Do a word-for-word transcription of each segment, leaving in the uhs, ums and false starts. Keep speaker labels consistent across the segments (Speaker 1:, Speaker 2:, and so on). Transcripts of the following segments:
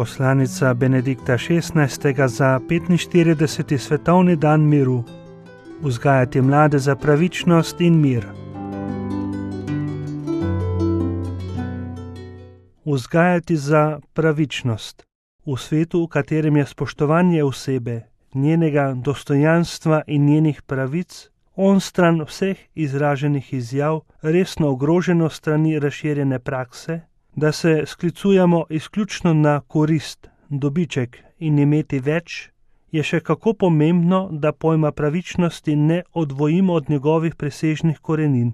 Speaker 1: Poslanica Benedikta šestnajstega za petinštirideseti svetovni dan miru. Vzgajati mlade za pravičnost in mir. Vzgajati za pravičnost. V svetu, v katerem je spoštovanje osebe, njenega dostojanstva in njenih pravic, onstran vseh izraženih izjav, resno ogroženo strani razširjene prakse, da se sklicujemo izključno na korist, dobiček in imeti več, je še kako pomembno, da pojma pravičnosti ne odvojimo od njegovih presežnih korenin.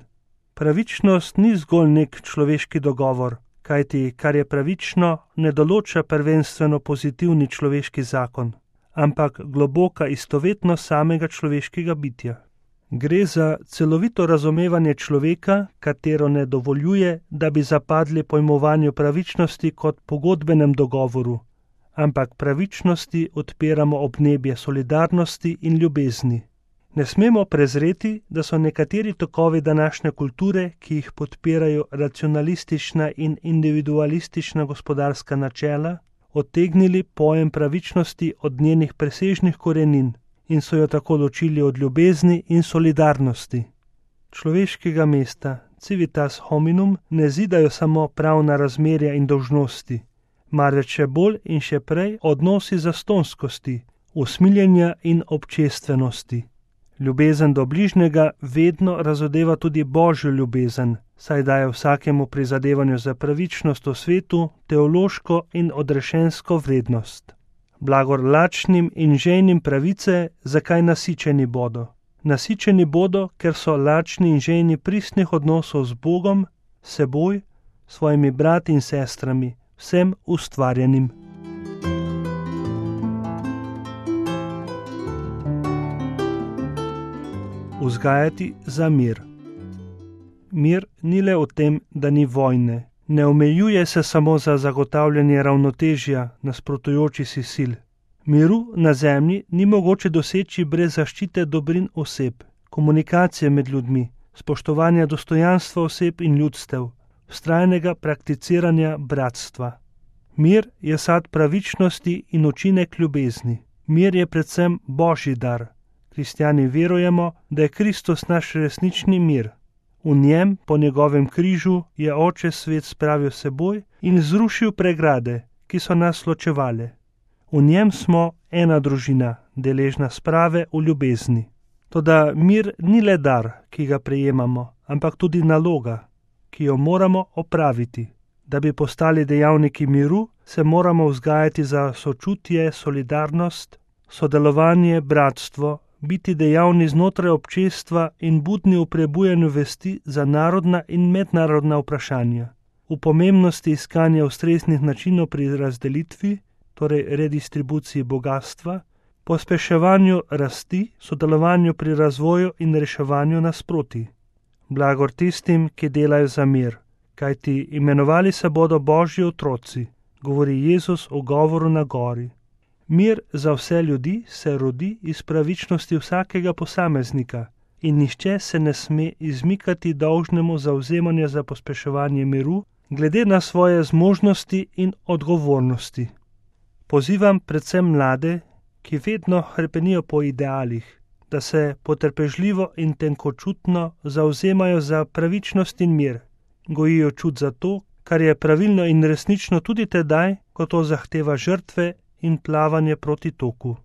Speaker 1: Pravičnost ni zgolj nek človeški dogovor, kajti kar je pravično, ne določa prvenstveno pozitivni človeški zakon, ampak globoka istovetnost samega človeškega bitja. Gre za celovito razumevanje človeka, katero ne dovoljuje, da bi zapadli pojmovanju pravičnosti kot pogodbenem dogovoru, ampak pravičnosti odpiramo obnebje solidarnosti in ljubezni. Ne smemo prezreti, da so nekateri tokovi današnje kulture, ki jih podpirajo racionalistična in individualistična gospodarska načela, odtegnili pojem pravičnosti od njenih presežnih korenin in so jo tako ločili od ljubezni in solidarnosti. Človeškega mesta, civitas hominum, ne zidajo samo pravna razmerja in dolžnosti, marveč še bolj in še prej odnosi zastonskosti, usmiljenja in občestvenosti. Ljubezen do bližnjega vedno razodeva tudi božjo ljubezen, saj daje vsakemu prizadevanju za pravičnost v svetu teološko in odrešensko vrednost. Blagor lačnim in žejnim pravice, zakaj nasičeni bodo. Nasičeni bodo, ker so lačni in žejni pristnih odnosov z Bogom, seboj, svojimi brati in sestrami, vsem ustvarjenim. Vzgajati za mir. Mir ni le v tem, da ni vojne. Ne omejuje se samo za zagotavljanje ravnotežja nasprotujoči si sil. Miru na zemlji ni mogoče doseči brez zaščite dobrin oseb, komunikacije med ljudmi, spoštovanja dostojanstva oseb in ljudstev, vztrajnega prakticiranja bratstva. Mir je sad pravičnosti in učinek ljubezni. Mir je predvsem božji dar. Kristjani verujemo, da je Kristus naš resnični mir. V njem, po njegovem križu, je Oče svet spravil seboj in zrušil pregrade, ki so nas ločevale. V njem smo ena družina, deležna sprave v ljubezni. Toda mir ni le dar, ki ga prejemamo, ampak tudi naloga, ki jo moramo opraviti. Da bi postali dejavniki miru, se moramo vzgajati za sočutje, solidarnost, sodelovanje, bratstvo, biti dejavni znotraj občestva in budni v prebujanju vesti za narodna in mednarodna vprašanja, v pomembnosti iskanja ustreznih načinov pri razdelitvi, torej redistribuciji bogastva, pospeševanju rasti, sodelovanju pri razvoju in reševanju nasprotij. Blagor tistim, ki delajo za mir, kajti imenovali se bodo Božji otroci, govori Jezus v govoru na gori. Mir za vse ljudi se rodi iz pravičnosti vsakega posameznika in nihče se ne sme izmikati dolžnemu zavzemanju za pospeševanje miru, glede na svoje zmožnosti in odgovornosti. Pozivam predvsem mlade, ki vedno hrepenijo po idealih, da se potrpežljivo in tenkočutno zavzemajo za pravičnost in mir, gojijo čut za to, kar je pravilno in resnično tudi tedaj, ko to zahteva žrtve in plavanje proti toku.